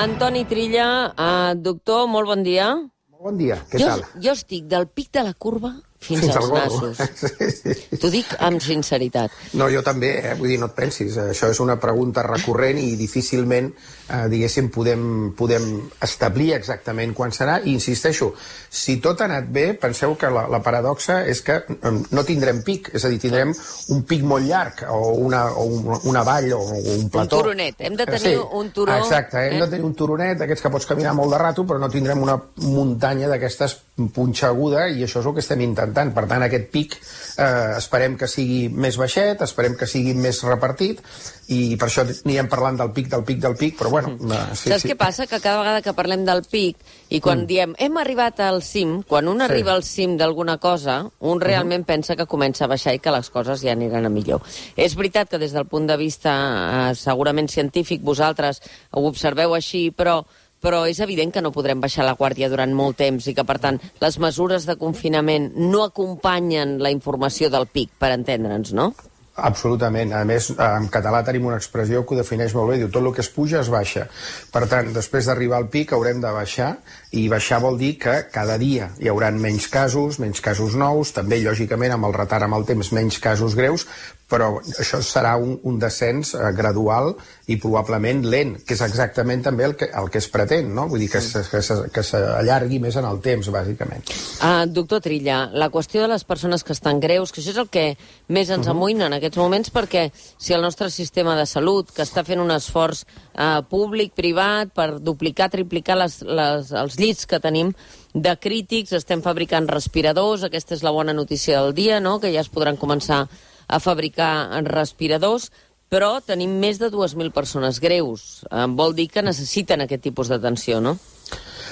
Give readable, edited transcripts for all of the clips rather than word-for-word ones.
Antoni Trilla, doctor, molt bon dia. Molt bon dia, què tal? Jo estic del pic de la curva fins als nassos. Sí. T'ho dic amb sinceritat. No, jo també, vull dir, no et pensis. Això és una pregunta recurrent i difícilment, diguéssim, podem establir exactament quan serà. I insisteixo, si tot ha anat bé, penseu que la paradoxa és que no tindrem pic, és a dir, tindrem un pic molt llarg, o una vall, o un plató. Un turonet, hem de tenir un turó. Exacte, hem de tenir un turonet, d'aquests que pots caminar molt de rato, però no tindrem una muntanya d'aquestes punxeguda, i això és el que estem intentant. Per tant, aquest pic esperem que sigui més baixet, esperem que sigui més repartit, i per això anirem parlant del pic, però bueno... Saps què passa? Que cada vegada que parlem del pic, i quan diem hem arribat al cim, quan un arriba al cim d'alguna cosa, un realment pensa que comença a baixar i que les coses ja aniran a millor. És veritat que des del punt de vista segurament científic vosaltres ho observeu així, però és evident que no podrem baixar la guàrdia durant molt temps i que, per tant, les mesures de confinament no acompanyen la informació del pic, per entendre'ns, no? Absolutament. A més, en català tenim una expressió que ho defineix molt bé, diu tot el que es puja es baixa. Per tant, després d'arribar al pic haurem de baixar, i baixar vol dir que cada dia hi haurà menys casos nous, també, lògicament, amb el retard amb el temps, menys casos greus, però això serà un descens gradual i probablement lent, que és exactament també el que es pretén, no? Vull dir que s'allargui més en el temps, bàsicament. Doctor Trilla, la qüestió de les persones que estan greus, que això és el que més ens amoïna en aquests moments, perquè si el nostre sistema de salut, que està fent un esforç públic, privat, per duplicar, triplicar els llits que tenim de crítics, estem fabricant respiradors, aquesta és la bona notícia del dia, no?, que ja es podran començar a fabricar respiradors, però tenim més de 2.000 persones greus. Vol dir que necessiten aquest tipus d'atenció, no?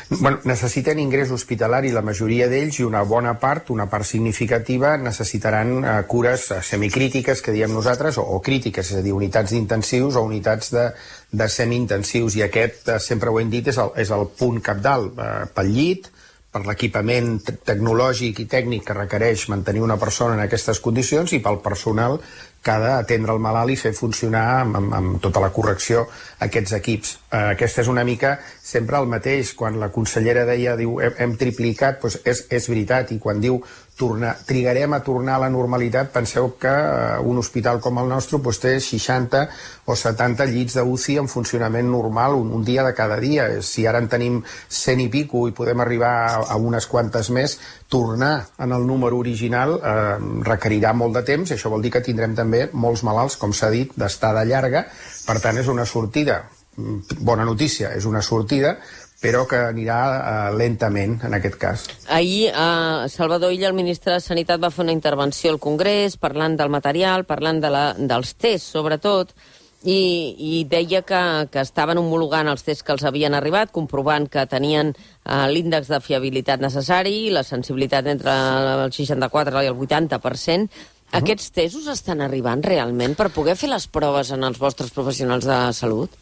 Bueno, necessiten ingrés hospitalari la majoria d'ells, i una bona part, una part significativa, necessitaran cures semicrítiques, que diem nosaltres, o crítiques, és a dir, unitats d'intensius o unitats de semi-intensius, i aquest, sempre ho hem dit, és el punt cabdal pel llit, per l'equipament tecnològic i tècnic que requereix mantenir una persona en aquestes condicions, i pel personal que ha d'atendre el malalt i fer funcionar amb tota la correcció aquests equips. Aquesta és una mica sempre el mateix. Quan la consellera diu hem triplicat, doncs és veritat, i quan diu trigarem a tornar a la normalitat, penseu que un hospital com el nostre té 60 o 70 llits d'UCI en funcionament normal un dia de cada dia. Si ara en tenim 100 i pico i podem arribar a unes quantes més, tornar en el número original requerirà molt de temps, i això vol dir que tindrem també molts malalts, com s'ha dit, d'estada llarga. Per tant, és una sortida, bona notícia, és una sortida, però que anirà lentament, en aquest cas. Ahir, Salvador Illa, el ministre de Sanitat, va fer una intervenció al Congrés parlant del material, parlant dels tests, sobretot, i deia que estaven homologant els tests que els havien arribat, comprovant que tenien l'índex de fiabilitat necessari, la sensibilitat entre el 64 i el 80%. Aquests tests us estan arribant realment per poder fer les proves en els vostres professionals de salut?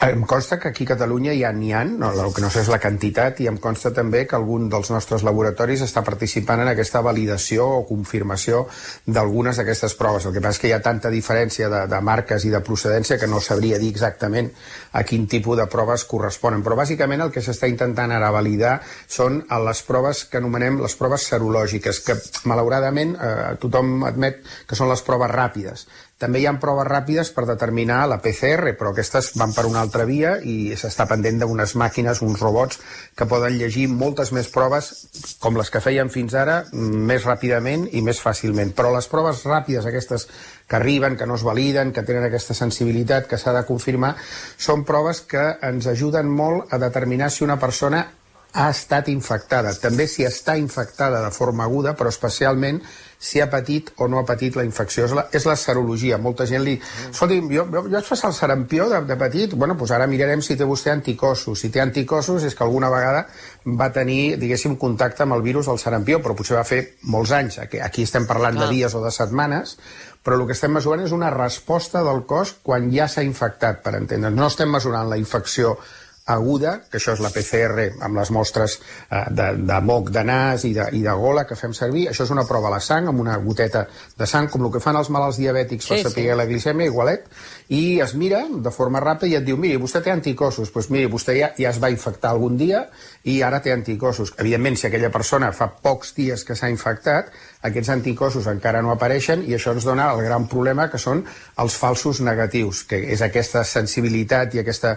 Em consta que aquí a Catalunya ja n'hi ha, el que no sé és la quantitat, i em consta també que algun dels nostres laboratoris està participant en aquesta validació o confirmació d'algunes d'aquestes proves. El que passa és que hi ha tanta diferència de marques i de procedència que no sabria dir exactament a quin tipus de proves corresponen. Però bàsicament el que s'està intentant ara validar són les proves que anomenem les proves serològiques, que malauradament tothom admet que són les proves ràpides. També hi ha proves ràpides per determinar la PCR, però aquestes van per una altra via i s'està pendent d'unes màquines, uns robots, que poden llegir moltes més proves, com les que feien fins ara, més ràpidament i més fàcilment. Però les proves ràpides, aquestes que arriben, que no es validen, que tenen aquesta sensibilitat, que s'ha de confirmar, són proves que ens ajuden molt a determinar si una persona ha estat infectada. També si està infectada de forma aguda, però especialment si ha patit o no ha patit la infecció. És la serologia. Molta gent li... Escolti, jo vaig passar el sarampió de petit, bueno, doncs ara mirarem si té vostè anticossos. Si té anticossos és que alguna vegada va tenir, diguéssim, contacte amb el virus del sarampió, però potser va fer molts anys. Aquí estem parlant de dies o de setmanes, però el que estem mesurant és una resposta del cos quan ja s'ha infectat, per entendre'ns. No estem mesurant la infecció aguda, que això és la PCR amb les mostres de moc de nas i de gola que fem servir. Això és una prova a la sang, amb una goteta de sang, com el que fan els malalts diabètics per saber la glicèmia, igualet, i es mira de forma ràpida i et diu, miri, vostè té anticossos, doncs miri, vostè ja es va infectar algun dia i ara té anticossos. Evidentment, si aquella persona fa pocs dies que s'ha infectat, aquests anticossos encara no apareixen i això ens dona el gran problema que són els falsos negatius, que és aquesta sensibilitat i aquesta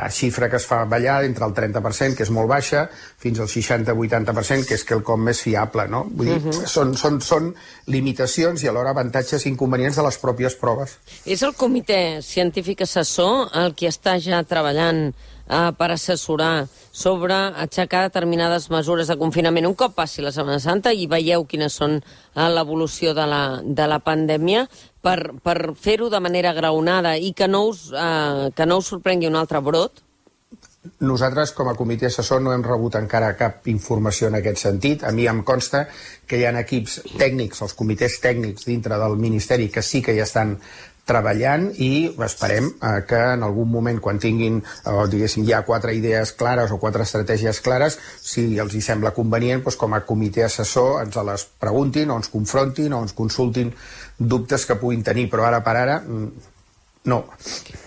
xifra que es fa ballar entre el 30%, que és molt baixa, fins al 60-80%, que és quelcom més fiable, no? Vull dir, són limitacions i alhora avantatges i inconvenients de les pròpies proves. És el comitè científic assessor el qui està ja treballant per assessorar sobre aixecar determinades mesures de confinament un cop passi la Setmana Santa i veieu quines són l'evolució de la pandèmia per fer-ho de manera graonada i que no us sorprengui un altre brot? Nosaltres, com a comitè assessor, no hem rebut encara cap informació en aquest sentit. A mi em consta que hi ha equips tècnics, els comitès tècnics dintre del Ministeri, que sí que ja estan treballant i esperem que en algun moment, quan tinguin, diguéssim, ja 4 idees clares o 4 estratègies clares, si els hi sembla convenient, doncs, com a comitè assessor ens les preguntin o ens confrontin o ens consultin dubtes que puguin tenir, però ara per ara no.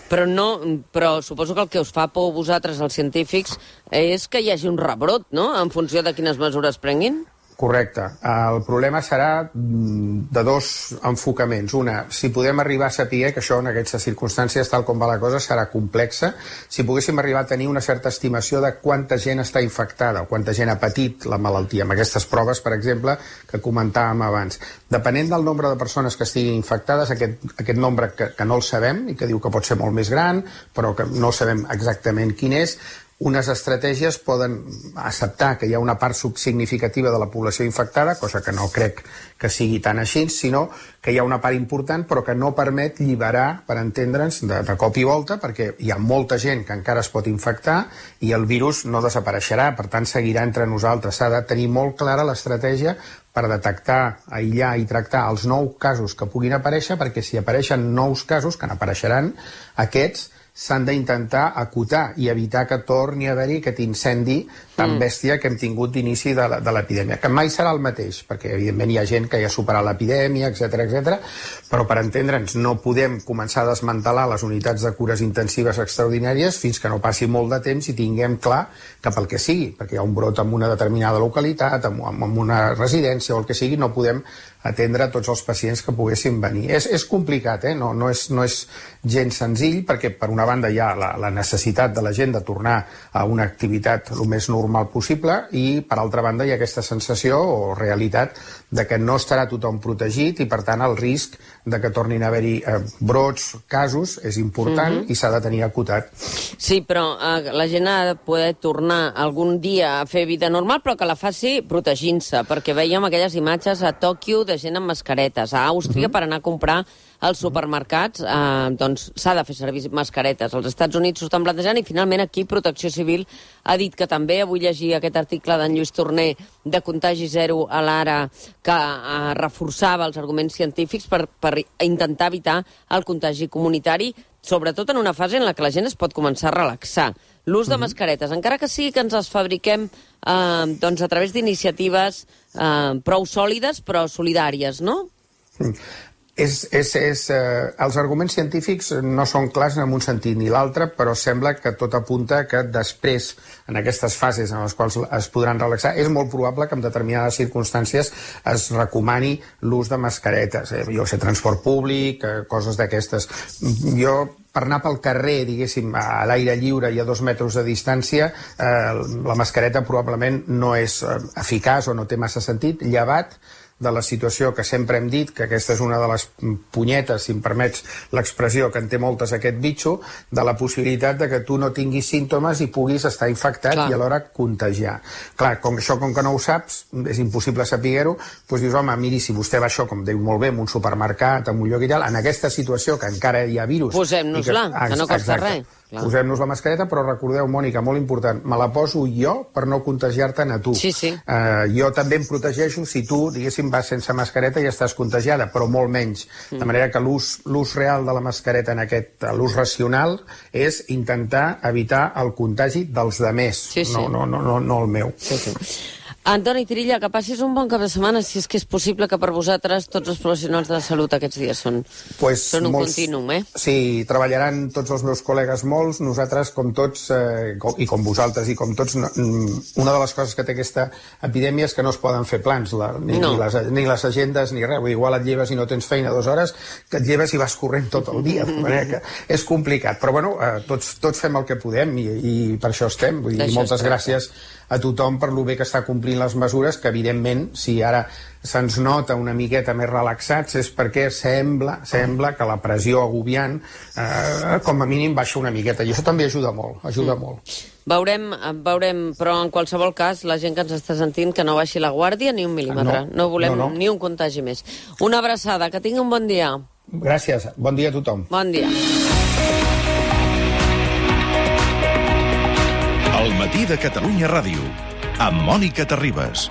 Però suposo que el que us fa por a vosaltres, els científics, és que hi hagi un rebrot, no?, en funció de quines mesures prenguin? Correcte. El problema serà de 2 enfocaments. Una, si podem arribar a saber que això en aquestes circumstàncies, tal com va la cosa, serà complexa. Si poguéssim arribar a tenir una certa estimació de quanta gent està infectada o quanta gent ha patit la malaltia, amb aquestes proves, per exemple, que comentàvem abans. Depenent del nombre de persones que estiguin infectades, aquest nombre que no el sabem i que diu que pot ser molt més gran, però que no sabem exactament quin és, unes estratègies poden acceptar que hi ha una part significativa de la població infectada, cosa que no crec que sigui tan així, sinó que hi ha una part important però que no permet lliberar, per entendre'ns, de cop i volta, perquè hi ha molta gent que encara es pot infectar i el virus no desapareixerà, per tant seguirà entre nosaltres. S'ha de tenir molt clara l'estratègia per detectar, aïllar i tractar els 9 casos que puguin aparèixer, perquè si apareixen nous casos, que n'apareixeran, aquests s'han d'intentar acotar i evitar que torni a haver-hi aquest incendi tan bèstia que hem tingut d'inici de l'epidèmia, que mai serà el mateix, perquè evidentment hi ha gent que ja ha superat l'epidèmia, etc, però per entendre'ns no podem començar a desmantelar les unitats de cures intensives extraordinàries fins que no passi molt de temps i tinguem clar que pel que sigui, perquè hi ha un brot en una determinada localitat, en una residència o el que sigui, no podem atendre tots els pacients que poguessin venir. És complicat, no és gens senzill, perquè per una banda hi ha la necessitat de la gent de tornar a una activitat el més normal possible i per altra banda hi ha aquesta sensació o realitat de que no estarà tothom protegit i per tant el risc de que tornin a haver-hi brots, casos, és important i s'ha de tenir acotat. Sí, però la gent ha de poder tornar algun dia a fer vida normal, però que la faci protegint-se, perquè veiem aquelles imatges a Tòquio de gent amb mascaretes, a Àustria per anar a comprar als supermercats, doncs s'ha de fer servir mascaretes. Als Estats Units s'ho estan plantejant i finalment aquí Protecció Civil ha dit que també, avui llegir aquest article d'en Lluís Torner de Contagi Zero a l'Ara, que reforçava els arguments científics per intentar evitar el contagi comunitari, sobretot en una fase en la que la gent es pot començar a relaxar. L'ús de mascaretes, encara que sigui que ens les fabriquem doncs a través d'iniciatives prou sòlides però solidàries, no? Els arguments científics no són clars en un sentit ni l'altre, però sembla que tot apunta que després, en aquestes fases en les quals es podran relaxar, és molt probable que en determinades circumstàncies es recomani l'ús de mascaretes. Jo sé, transport públic, coses d'aquestes. Jo, per anar pel carrer, diguéssim, a l'aire lliure i a 2 metres de distància, la mascareta probablement no és eficaç o no té massa sentit, llevat de la situació que sempre hem dit, que aquesta és una de les punyetes, si em permets l'expressió, que en té moltes aquest bitxo, de la possibilitat de que tu no tinguis símptomes i puguis estar infectat i alhora contagiar. Clar, com que no ho saps, és impossible saber-ho, doncs dius, home, miri, si vostè va això, com diu molt bé, en un supermercat, en un lloc i tal, en aquesta situació que encara hi ha virus... Posem-nos-la, que no costa res. Posem-nos la mascareta, però recordeu, Mònica, molt important, me la poso jo per no contagiar-te'n a tu. Sí. Jo també em protegeixo si tu, diguéssim, vas sense mascareta i estàs contagiada, però molt menys. De manera que l'ús real de la mascareta l'ús racional és intentar evitar el contagi dels demés, no el meu. Antoni Trilla, que passis un bon cap de setmana, si és que és possible, que per vosaltres tots els professionals de la salut aquests dies són un contínuum, Sí, treballaran tots els meus col·legues molts, nosaltres com tots, i com vosaltres i com tots, una de les coses que té aquesta epidèmia és que no es poden fer plans, ni les agendes ni res, igual et lleves i no tens feina 2 hores, que et lleves i vas corrent tot el dia, de manera que és complicat, però bueno, tots fem el que podem i per això estem, vull dir, moltes gràcies a tothom per lo bé que està complint les mesures, que evidentment, si ara se'ns nota una miqueta més relaxats, és perquè sembla que la pressió agobiant, com a mínim, baixa una miqueta, i això també ajuda molt, Veurem, però en qualsevol cas, la gent que ens està sentint, que no baixi la guàrdia ni un mil·límetre. No volem ni un contagi més. Una abraçada, que tingui un bon dia. Gràcies, bon dia a tothom. Bon dia. El matí de Catalunya Ràdio, amb Mònica Terribas.